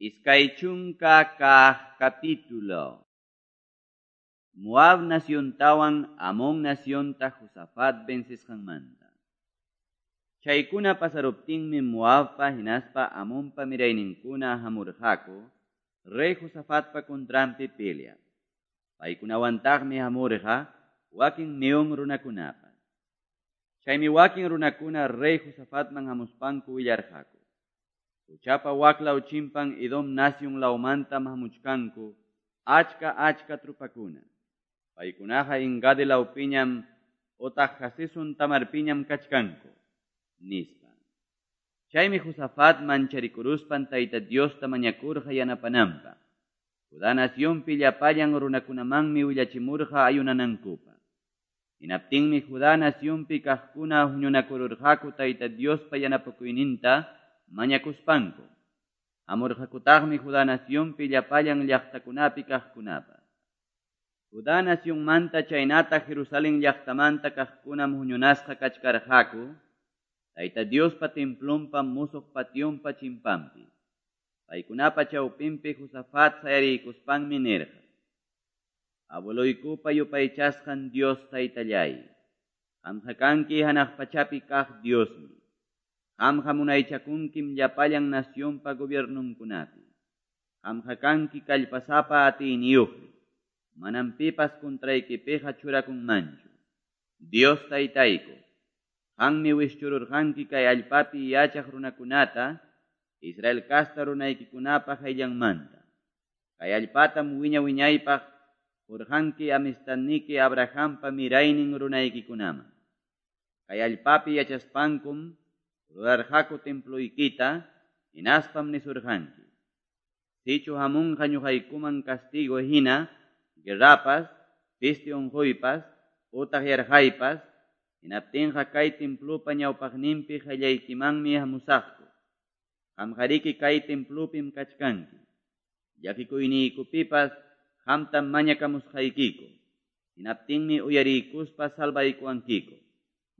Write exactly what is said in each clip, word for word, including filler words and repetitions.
Iskay chunka kaq capítulo. Moab naciontawan Amón nacionta Josafat vencesqanmanta. Chaykuna pasaruptinmi Moabpa hinaspa Amonpa mirayninkuna hamurqaku rey Josafatpa contranpi peleaq. Paykunawantaqmi hamurqa wakin Meón runakunapas. Chaymi wakin runakuna rey Josafatman hamuspanku willarqaku. Qochapa waklaw chimpan Edom nación lawmantam hamuchkanku achka achka trupakuna. Paykunaqa En-gadi lawpiñam otaq Haseson Tamarpiñam kachkanku, nispa. Chaymi Josafat mancharikuruspan Tayta Diosta mañakurqa yanapananpaq. Judá nacionpi llapallan runakunamanmi willachimurqa ayunanankupaq. Hinaptinmi Judá nacionpi kaqkuna huñunakururqaku Tayta Diospa yanapakuyninta mañakuspanku. Hamurqakutaqmi Judá nacionpi llapallan llaqtakunapi kaqkunapas. Judá nacionmanta chaynata Jerusalén llaqtamanta kaqkunam huñunasqa kachkarqaku Tayta Diospa templonpa musuq pationpa chimpanpi. Paykunapa chawpinpi Josafat sayarikuspanmi nirqa: Abueloykupa yupaychasqan Dios Taytallay, qamqa kanki hanaq pachapi kaq Diosmi. Qamqa munaychakunkim llapallan nacionpa gobiernunkunapi. Qamqa kanki kallpasapa atiyniyuqmi. Manam pipas contraykipiqa churakunmanchu. Dios Taytayku, qammi wischururqanki kay allpapi yachaq runakunata, Israel kasta runaykikunapa hayllanmanta. Kay allpatam wiña wiñaypaq qurqanki amistadniki Abrahampa miraynin runaykikunaman. Kay allpapi yachaspankum rurarqaku temploykita, hinaspam nisurqanki: Sichu hamunqa ñuqaykuman castigo hina, guerrapas, peste unquypas, utaq yarqaypas, hinaptinqa kay templopa ñawpaqninpi qallaykimanmi hamusaqku. Qamqariki kay templopim kachkanki. Llakikuyniykupipas qamtam mañakamusqaykiku. Hinaptinmi uyariykuspa salvaykuwankiku,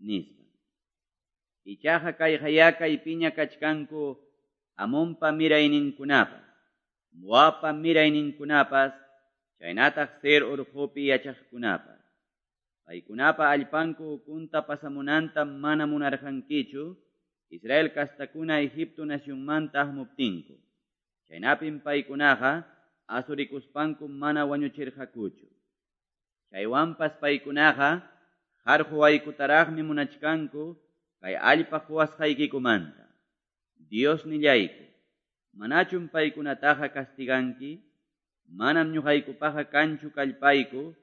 nispa. Ichaqa kay kaypiña kachkanku Amonpa mirayninkunapas, Moabpa mirayninkunapas, chaynataq Seir urqupi yachaqkunapas. Paykunapa allpanku ukunta pasamunanta mana munarqankichu Israel kastakuna Egipto nacionmanta hamuptinku. Chaynapim paykunaqa asurikuspanku mana wañuchirqakuchu. Chaywanpas paykunaqa qarquwaykutaraqmi munachkanku kay allpa quwasqaykikumanta. Dios nillayku, manachum paykunataqa castiganki? Manam ñuqaykupaqa kanchu kallpayku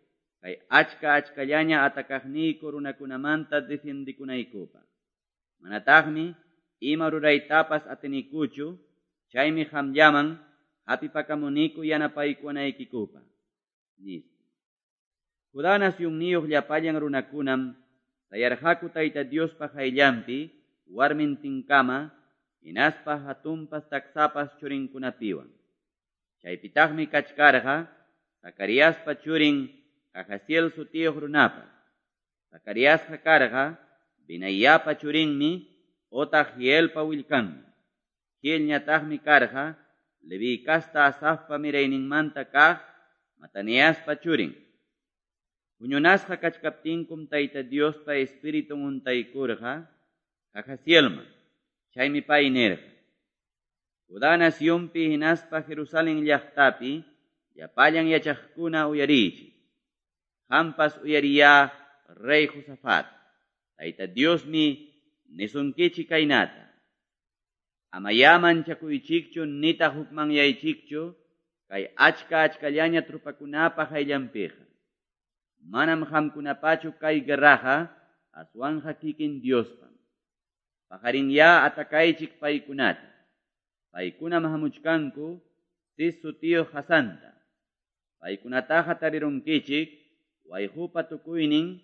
kay achka achkallaña atakaqniyku runakunamanta defiendikunaykupaq. Manataqmi ima ruraytapas atinikuchu, chaymi qamllaman hapipakamuniku yanapaykuwanaykikupaq, nispa. Judá nacionniyuq llapallan runakunam sayarqaku Tayta Diospa hayllanpi warmintinkama, hinaspa hatunpas taksapas churinkunapiwan. Chaypitaqmi kachkarqa Zacariaspa churin Jahaziel sutiyuq runapas. Zacariasqa karqa Benayapa churinmi otaq Gielpa willkanmi. Gielñataqmi karqa Leví kasta Asafpa mirayninmanta kaq Mataniaspa churin. Huñunasqa kachkaptinkum Tayta Diospa Espiritun untaykurqa Jahazielman. Chaymi pay nirqa: Judá nacionpi hinaspa Jerusalén llaqtapi llapallan yachaqkuna uyariychik. Qampas uyariya rey Josafat. Tayta Diosmi nisunkichik kaynata: Amayá manchakuychikchu nitaq hukmanyaychikchu kay achka achkallaña trupakunapa hayllanpiqa. Manam qamkunapachu kay guerraqa, aswanqa kikin Diospam. Paqarinyá atakaychik paykunata. Paykunam hamuchkanku Sis sutiyuq hasanta. Paykunataqa tarirunkichik wayqupa tukuynin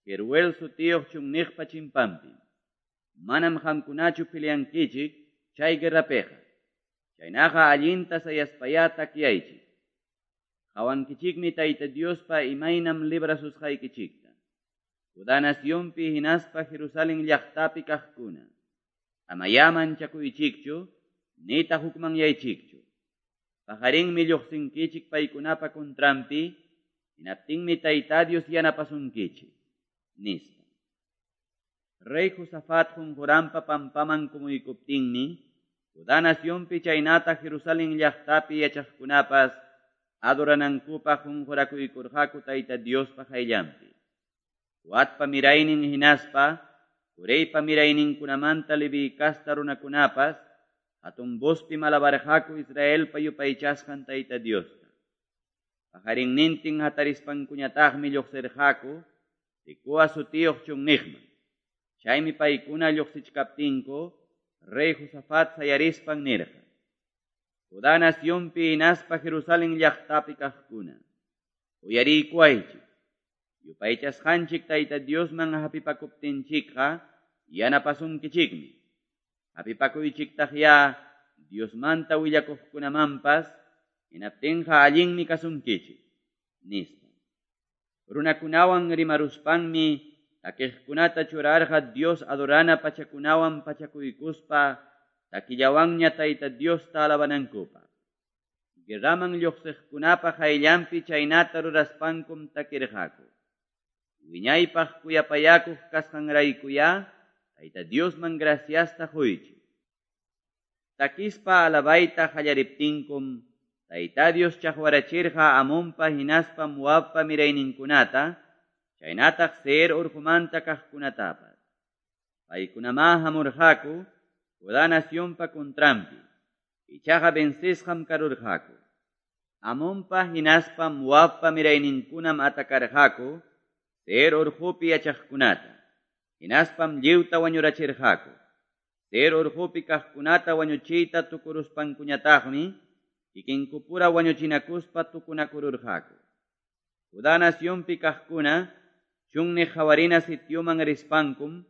Jeruel sutiyuq chunniqpa chimpanpi. Manam qamkunachu peleankichik chay guerrapiqa. Chaynaqa allinta sayaspayá takyaychik. Qawankichikmi Tayta Diospa imaynam librasusqaykichikta. Judá nacionpi hinaspa Jerusalén llaqtapi kaqkuna, amayá manchakuychikchu, nitaq hukmanyaychikchu. Paqarinmi lluqsinkichik paykunapa contranpi, hinaptinmi Tayta Dios yanapasunkichik, nispa. Rey Josafat qunquranpa pampaman kumuykuptinmi, Judá nacionpi chaynata Jerusalén llaqtapi yachaqkunapas adoranankupaq qunqurakuykurqaku Tayta Diospa qayllanpi. Coatpa miraynin hinaspa, Coreypa mirayninkunamanta Leví casta runakunapas, hatun vozpi alabarqaku Israelpa yupaychasqan Tayta Diosta. Paqarinnintin hatarispankuñataqmi lluqsirqaku, Tecoa sutiyuq chunniqman. Chaymi paykuna lluqsichkaptinku, rey Josafat sayarispan nirqa: Judá nacionpi hinaspa Jerusalén llaqtapi kaqkuna, uyariykuwaychik. Yupaychasqanchik Tayta Diosman hapipakuptinchikqa yanapasunkichikmi. Hapipakuychiktaq ya Diosmanta willakuqkunamanpas, hinaptinqa allinmi kasunkichik, nispa. Runakunawan rimaruspanmi takiqkunata churarqa Dios adorana pachakunawan pachakuykuspa takillawanña Tayta Diosta alabanankupaq. Guerraman lluqsiqkunapa qayllanpi chaynata ruraspankum takirqaku. Wiñaypaq kuyapayakuq kasqanraykuya Tayta Diosman graciasta quychik. Takispa alabayta qallariptinkum Tayta Dios chaqwarachirqa Amonpa hinaspa Moabpa mirayninkunata, chaynataq Seir urqumanta kaqkunatapas. Paykunamá hamurqaku Judá nacionpa contranpi, ichaqa vencisqam karurqaku. Amonpa hinaspa Moabpa mirayninkunam atakarqaku Seir urqupi yachaqkunata, hinaspam lliwta wañurachirqaku. Seir urqupi kaqkunata wañuchiyta tukuruspankuñataqmi kikinkupura wañuchinakuspa tukunakururqaku. Judá nacionpi kaqkuna chunniq hawarina sitioman rispankum,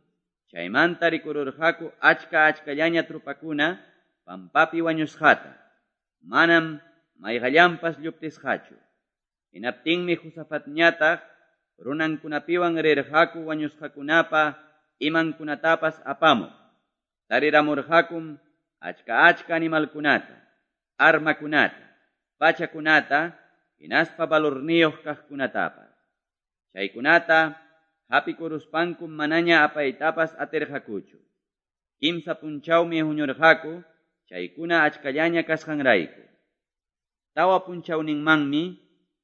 chaymanta rikururqaku achka achkallaña trupakuna pampapi wañusqata, manam mayqallanpas lluptisqachu. Hinaptinmi Josafatñataq runankunapiwan rirqaku wañusqakunapa imankunatapas apamuq. Tariramurqakum achka achka animalkunata, armakunata, pachakunata, hinaspa valorniyuq kaqkunatapas. Chaykunata hapikuruspankum manaña apaytapas atirqakuchu. Kimsa punchawmi huñurqaku chaykuna achkallaña kasqanrayku. Tawa punchawninmanmi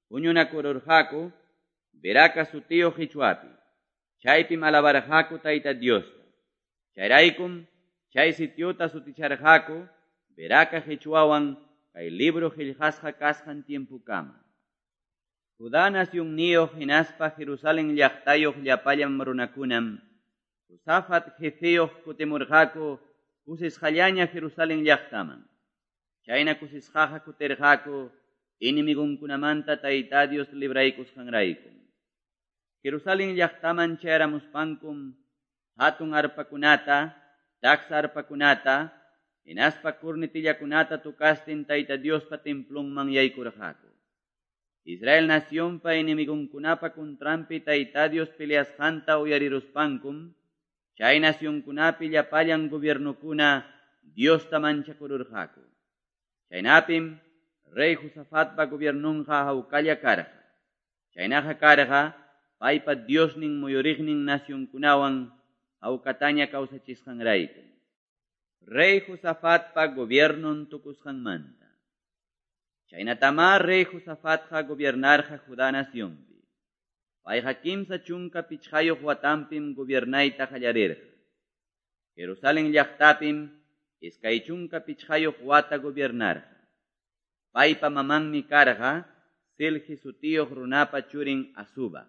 huñunakururqaku Beraca sutiyuq qichwapi. Chaypim alabarqaku Tayta Diosta. Chayraykum chay sitiota suticharqaku Beraca qichwawan kay libro qillqasqa kasqan tiempukama. Judá nacionniyuq hinaspa Jerusalén llaqtayuq llapallan runakunam Josafat jefeyuq kutimurqaku kusisqallaña Jerusalén llaqtaman. Chayna kusisqaqa kutirqaku enemigunkunamanta Tayta Dios libraykusqanrayku. Jerusalén llaqtaman chayaramuspankum hatun arpakunata, taksa arpakunata, hinaspa kurnitillakunata tukastin Tayta Diospa templonman yaykurqaku. Israel nacionpa enemigunkunapa contranpi Tayta Dios peleasqanta uyariruspankum, chay nacionkunapi llapallan gobiernokuna Diosta manchakururqaku. Chaynapim rey Josafatpa gobiernonqa hawkalla karqa. Chaynaqa karqa paypa Diosnin muyuriqnin nacionkunawan hawkataña kawsachisqanrayku. Rey Josafatpa gobiernon tukusqanmanta. Chaynatamá rey Josafatqa gobiernarqa Judá nacionpi. Payqa kimsa chunka pichqayuq watanpim gobiernayta qallarirqa. Jerusalén llaqtapim iskay chunka pichqayuq wata gobiernarqa. Paypa mamanmi karqa Silhi sutiyuq runapa churin Azuba.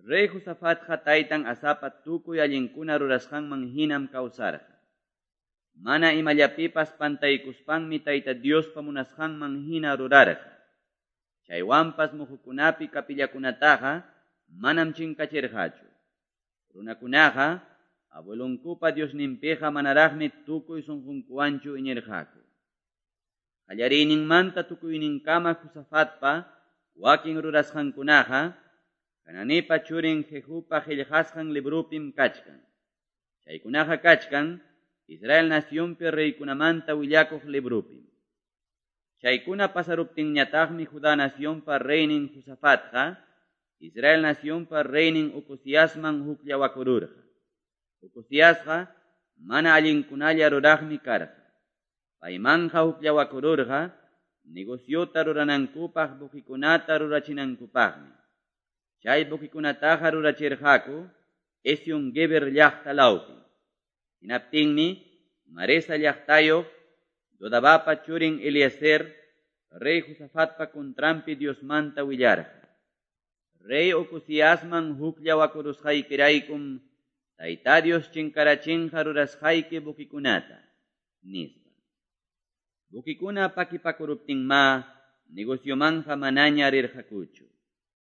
Rey Josafatqa taytan Asapa tukuy allinkuna rurasqanman hinam kawsarqa. Mana imallapipas pantaykuspanmi Tayta Diospa munasqanman hina rurarqa. Chaywanpas muhukunapi kapillakunataqa manam chinkachirqachu. Runakunaqa abuelonkupa Diosninpiqa manaraqmi tukuy sunqunkuwanchu iñirqaku. Qallariyninmanta tukuyninkama Josafatpa wakin rurasqankunaqa Hananipa churin Jehupa qillqasqan librupim kachkan. Chaykunaqa kachkan Israel nacionpi reykunamanta willakuq librupim. Chaykuna pasaruptinñataqmi Judá nacionpa reynin Josafatqa, Israel nacionpa reynin Ocoziasman hukllawakururqa. Ocoziasqa mana allinkunalla ruraqmi karqa. Paymanqa hukllawakururqa negociota ruranankupaq buquikunata rurachinankupaqmi. Chay buquikunataqa rurachirqaku Ezion Geber llaqta lawpi. Hinaptinmi Maresa llaqtayuq Dodabapa churin Eliezer rey Josafatpa contranpi Diosmanta willarqa. Rey Ocoziasman hukllawakurusqaykiraykum Tayta Dios chinkarachinqa rurasqayki buquikunata, nispa. Buquikuna pakipakuruptinma negociomanja manaña rirqakuchu.